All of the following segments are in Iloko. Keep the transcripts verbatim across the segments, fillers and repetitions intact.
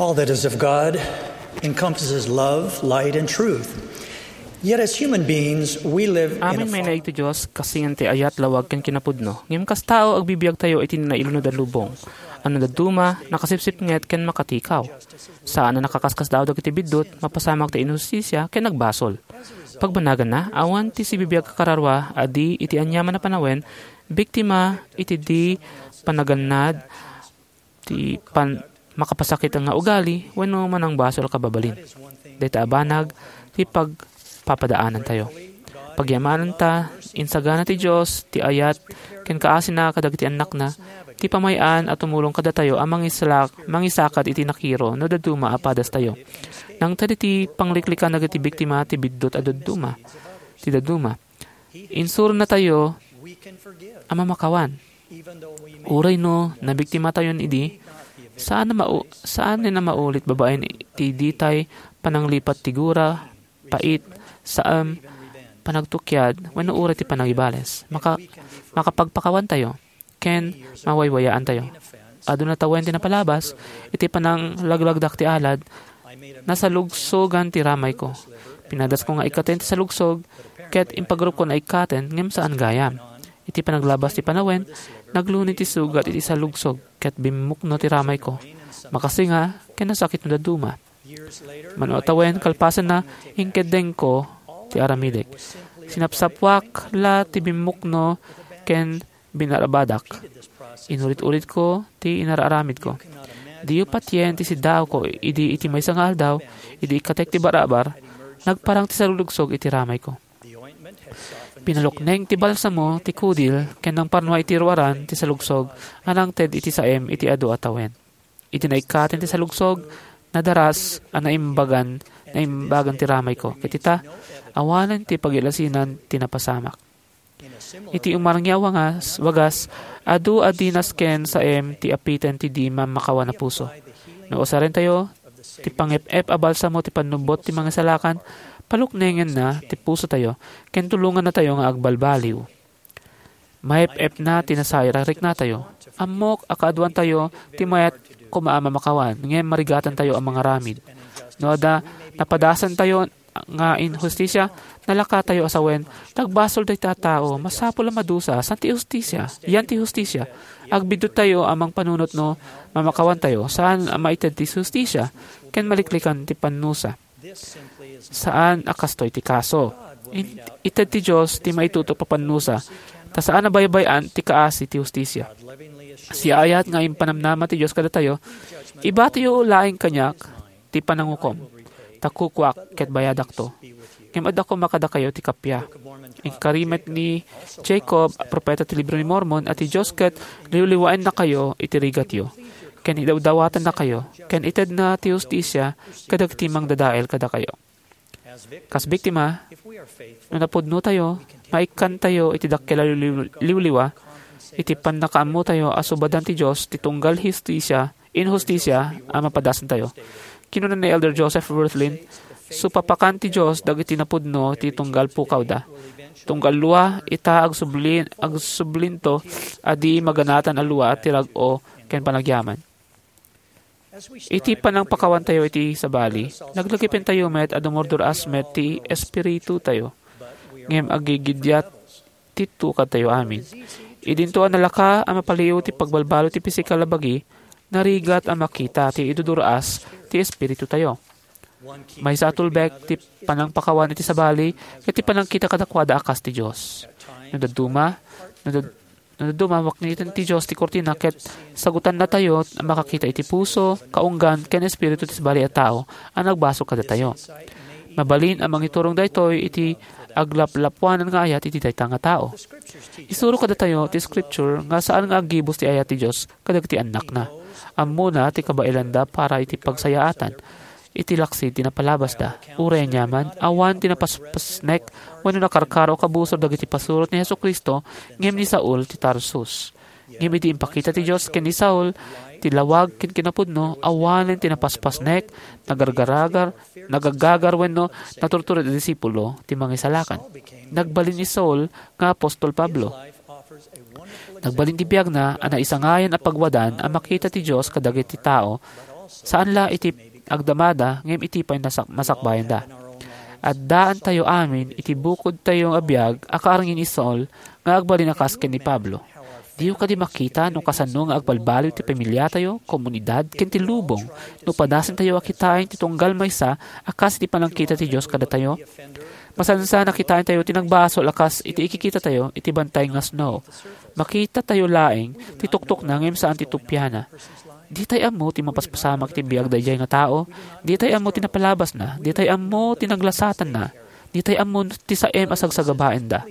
All that is of God encompasses love, light, and truth. Yet as human beings, we live in a Amin may fallen naig ti Dios, kasin ti ayat, lawag, ken kinapudno. Ngem kas tao, agbibiagtayo iti nailunod a lubong. Ano dadduma, nakasipsipnget ken makatikaw. Saan a nakaskasdaaw dagiti biddut, mapasamak ti inhustisia, ken nagbasol. Pagbanaganna, awan ti sibibiag a kararua a di iti aniaman a panawen, biktima iti di panagannad, ti pan-, makapasakit nga ugali wenno manangbasol a kababalin. Dayta a banag ti pagpapadaanantayo. Pagyamananta, insagana ti Dios ti ayat ken kaasina kadagiti annakna, ti pamay-an a tumulong kadatayo a mangislak-, mangisakad iti nakiro no dadduma a padastayo. Nangted iti pangliklikan dagiti biktima ti biddut a dadduma, ti dadduma. Insuronatayo a mamakawan. Uray no nabiktimatayon idi, saan a mau-, saan a maulit babaen ti ditay pananglipat ti gura, pait, saem, panagtukiad, wenno uray ti panangibales. Maka-, makapagpakawantayo, ken mawaywayaantayo. Aduna tawen ti napalabas, iti pananglaglagdak ti alad, nasalugsogan ti ramayko. Pinadasko nga ikkaten ti salugsog, ket impagrupko nga ikkaten, ngem saan gayam. Iti panaglabas ti panawen, nagluni ti sugat iti salugsog, ket bimmukno ti ramayko. Makasinga, ken nasakit no dadduma. Mano a tawen, kalpasanna, inkeddengko ti aramidek. Sinapsapuak la ti bimmukno ken binarabadak. Inurit-uritko ti inararamidko. Diyo patien ti siddaawko idi iti maysa nga aldaw, idi ikkatek ti barabar, nagparang ti salugsog iti ramayko. Pinalukneng ti balsamo ti kudil ken nangparnua iti ruaran ti salugsog a nangted iti saem iti adu a tawen. Iti naikkaten ti salugsog, nadaras a naimbagan, naimbagan ti ramayko. Ket ita, awanen ti pagilasinan ti napasamak. Iti umarngi a wangas, wagas, adu a di nasken saem ti apiten ti di mammakawan a puso. No usarentayo ti pangep-ep a balsamo ti pannubbot ti mangisalakan, paluknengenna ti pusotayo, ken tulongannatayo nga agbalbaliw. Maep-epna ti nasayaat a riknatayo. Ammok a kaaduantayo ti mayat koma a mamakawan, ngem marigatantayo a mangaramid. No adda napadasantayo nga inhustisia, nalakatayo a sawen, "Nagbasol dayta a tao, masapul a madusa, saan ti hustisia, yan ti hustisia." Agbidduttayo a mangpanunot no mamakawantayo, saan a maited ti hustisia, ken maliklikan ti pannusa. Saan a kastoy ti kaso. In-, ited ti Dios ti maitutok a pannusa, ta saan a baybay-an ti kaasi ti hustisia. Siaayat nga impanamnama ti Dios kadatayo, "Ibatiyo laeng kaniak ti panangukom, ta kukuak ket bayadakto." Ngem adda koma kadakayo ti kappia. Inkari met ni Jacob a propeta ti Libro ni Mormon a ti Dios ket liwliwaennakayo iti rigatyo, ken idawdawatennakayo, ken itedna ti hustisia kadagiti mangdadael kadakayo. Kas biktima, no napudnotayo, maikkantayo iti dakkel a liw-, liwliwa, iti pannakaammotayo a subadan ti Dios ti tunggal hustisia, inhustisia a mapadasantayo. Kinuna ni Elder Joseph Wirthlin, "Supapakan ti Dios dagiti napudno ti tunggal pukawda. Tunggal lua, ita agsubli-, agsublinto a di maganatan a lua ti rag-o ken panagyaman." Iti panangpakawantayo iti sabali, naglagipentayo met a dumurdur-as met ti espiritutayo. Ngem aggigiddiat ti tukadtayo amin. Idinto a nalaka a mapaliw ti pagbalbaliw ti pisikal a bagi, narigat a makita ti idudur-as ti espiritutayo. Maysa a tulbek ti panangpakawan iti sabali ket ti panangkita kadakuada a kas ti Dios. No dadduma, no dad-, no dadduma, makniten ti Dios ti kurtina ket sagutannatayo a makakita iti puso, kaunggan, ken espiritu ti sabali a tao a nagbasol kadatayo. Mabalin a mangiturong daytoy iti aglaplapuanan nga ayat iti dayta nga tao. Isuro kadatayo ti Scripture nga saan nga aggibus ti ayat ti Dios kadagiti annakna. Ammona ti kabaelanda para iti pagsayaatan iti laksid ti napalabasda. Uray aniaman, awan ti napaspasnek wenno nakarkaro a kabusor dagiti pasurot ni Jesu-Cristo ngem ni Saul ti Tarsus. Ngem idi impakita ti Dios ken ni Saul ti lawag ken kinapudno, awanen ti napaspasnek, nagargaragar, nagagagar wenno naturtured a disipulo ti Mangisalakan. Nagbalin ni Saul nga apostol Pablo. Nagbalin ti biagna a naisangayan a pagwadan a makita ti Dios kadagiti tao Saan la iti agdamada, ngem iti pay nasak-, masakbayanda. Addaantayo amin iti bukodtayo nga biag a kaarngi ni Saul nga agbalin a kas ken ni Pablo. Diyo kadi makita no kasano nga agbalbaliw ti pamiliatayo, komunidad, ken ti lubong no padasentayo a kitaen ti tunggal maysa a kas iti panangkita ti Dios kadatayo? Masansan a kitaentayo ti nagbasol a kas iti ikikitatayo iti bantay nga snow. Makitatayo laeng ti tuktukna ngem saan ti tupiana. Ditay ammo ti mapaspasamak iti biag daydiay nga tao. Ditay ammo ti napalabasna. Ditay ammo ti naglasatanna. Ditay ammo ti saem a sagsagabaenda.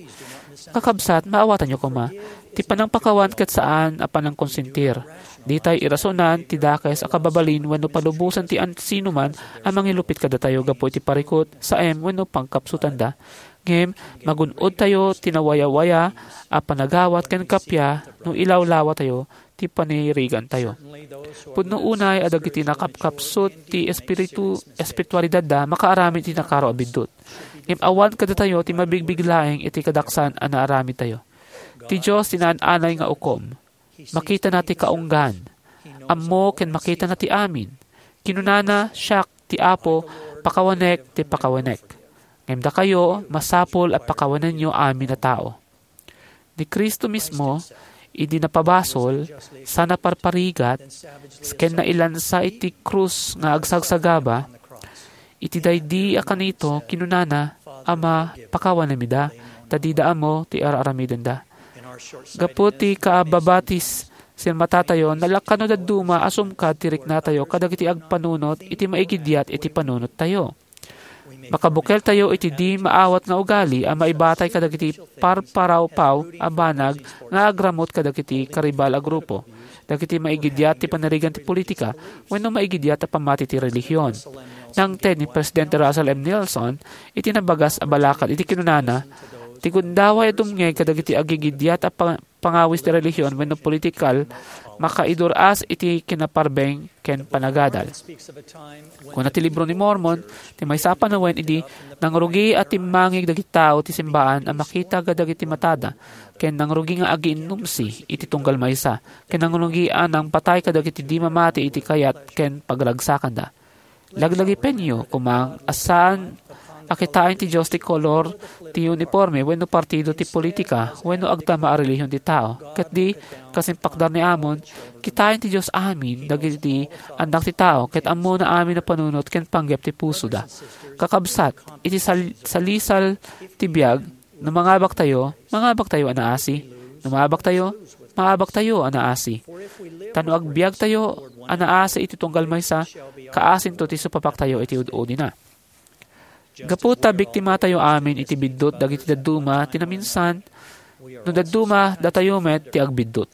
Kakabsat, maawatanyo koma. Ti panangpakawan ket saan a panangkonsentir. Ditay irasonan ti dakes a kababalin wenno palubosan ti an-, sinuman a mangilupit kadatayo gapu iti parikut, saem wenno pangkapsutanda. Ngem magun-odtayo ti nawayawaya a panagawat ken kappia no ilawlawatayo ti panirigantayo. Pudno unay a dagiti nakapkapsut ti espiritu, espiritualidadda makaaramid iti nakaro a biddut. Ngem awan kadatayo ti mabigbig laeng iti kadaksan a naaramidtayo. Ti Dios ti naan-anay nga ukom. Makitana ti kaunggan. Ammo ken makitana ti amin. Kinunana, "Siak ti Apo, pakawanek ti pakawanek." Ngem dakayo, masapul a pakawanenyo amin a tao. Ni Cristo mismo, idi napabasol, sa naparparigat, ken nailansa iti krus nga agsagsagaba, iti daydi a kanito, kinunana, "Ama, pakawanamida, ta dida ammo ti ar-aramidenda." Gapu ti kaababatis, sinmatatayo, nalakkan no dadduma a sumkad ti riknatayo kadagiti agpanunot iti maigidiat iti panunottayo. Makabukeltayo iti di maawat nga ugali a maibatay kadagiti parparawpaw a banag nga agramut kadagiti karibal a grupo, dagiti maigidiat ti panirigan ti politika, wenno maigidiat a pammati ti relihion. Nangted ni Presidente Russell M. Nelson iti nabagas a balakad iti kinunana, "Ti gundaway a dumngeg kadagiti agigidiat a pa-, pangawis ti relihion wenno politikal, makaidur-as iti kinaparbeng ken panagadal." Kuna ti Libro ni Mormon, ti maysa a panawen idi nangrugi a timmangig dagiti tao ti simbaan a makita kadagiti matada, ken nangrugi nga agiinnumsi iti tunggal maysa, ken nangrugi a nangpatay kadagiti di mamati iti kayat ken pagragsakanda. Laglagipenyo koma a saan a kitaen ti Dios ti kolor ti uniforme wenno partido ti politika wenno agtama a relihion ti tao. Ket di, kas impakdar ni Amon, kitaen ti Dios amin dagiti annak ti tao ket ammona amin a panunot ken panggep ti pusoda. Kakabsat, iti sal-, salisal ti biag, no mangabaktayo, mangabaktayo a naasi. No maabaktayo, maabaktayo a naasi. Ta no agbiagtayo a naasi iti tunggal maysa, kaasinto ti supapaktayo iti ud-udina. Gapu ta biktimatayo amin iti biddut dagiti dadduma ti naminsan, no dadduma, datayo met ti agbiddut.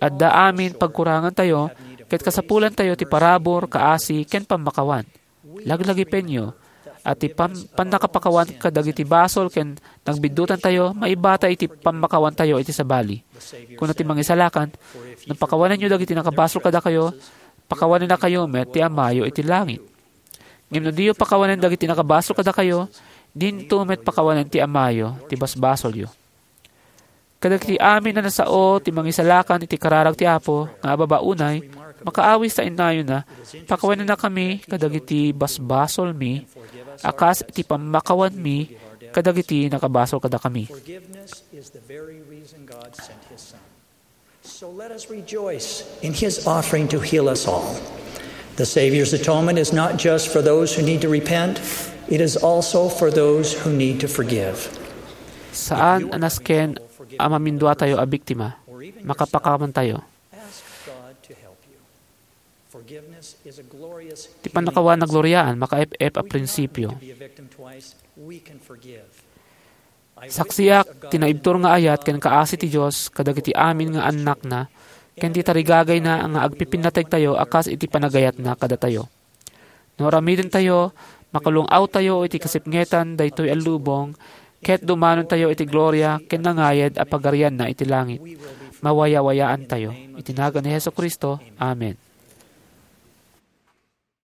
Adda amin pagkurangantayo, ket kasapulantayo ti parabur, kaasi, ken pammakawan. Laglagipenyo a ti pam-, pannakapakawan kadagiti basol ken nagbiddutantayo maibatay iti pammakawantayo iti sabali. Kuna ti Mangisalakan, "No pakawanenyo dagiti nakabasol kadakayo, pakawanennakayo met ti Amayo iti langit. Ngem no diyo pakawanen dagiti nakabasol kadakayo, dinto met pakawanen ti Amayo ti basbasolyo." Kadagiti amin a nasao ti Mangisalakan iti kararag ti Apo nga ababa unay, makaawis ta innayona, "Pakawanennakami kadagiti basbasolmi a kas iti pammakawanmi kadagiti nakabasol kadakami." Forgiveness is the very reason God sent His Son. So let us rejoice in His offering to heal us all. The Savior's atonement is not just for those who need to repent, it is also for those who need to forgive. Saan a nasken a maminduatayo a biktima, makapakawantayo. Ask God to help you. Forgiveness is a glorious Ti pannakawan a gloriaan, makaep-ep a prinsipio. To be a victim twice, we can forgive. Saksiak ti naibtur nga ayat ken kaasi ti Dios kadagiti amin nga annakna, ken ti tarigagayna nga agpipinnategtayo a kas iti panagayatna kadatayo. No aramidentayo, makalung-awtayo iti kasipngetan daytoy a lubong, ket dumanontayo iti gloria ken nangayed a pagarianna iti langit. Mawayawayaantayo. Iti nagan ni Jesu-Cristo, amen.